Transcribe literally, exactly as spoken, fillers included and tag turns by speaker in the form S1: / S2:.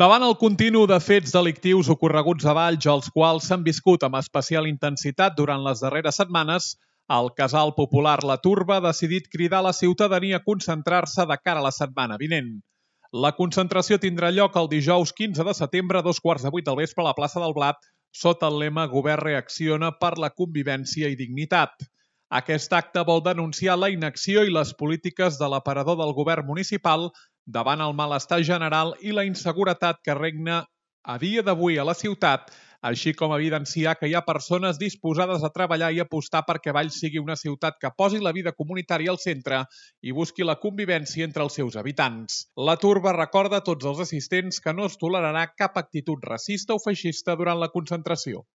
S1: Davant el continu de fets delictius ocorreguts a Valls, els quals s'han viscut amb especial intensitat durant les darreres setmanes, el casal popular La Turba ha decidit cridar a la ciutadania a concentrar-se de cara a la setmana vinent. La concentració tindrà lloc el dijous quinze de setembre a dos quarts de vuit del vespre a la plaça del Blat, sota el lema Govern reacciona per la convivència i dignitat. Aquest acte vol denunciar la inacció i les polítiques de l'aparador del govern municipal davant el malestar general i la inseguretat que regna a dia d'avui a la ciutat, així com evidenciar que hi ha persones disposades a treballar i apostar perquè Valls sigui una ciutat que posi la vida comunitària al centre i busqui la convivència entre els seus habitants. La Turba recorda a tots els assistents que no es tolerarà cap actitud racista o feixista durant la concentració.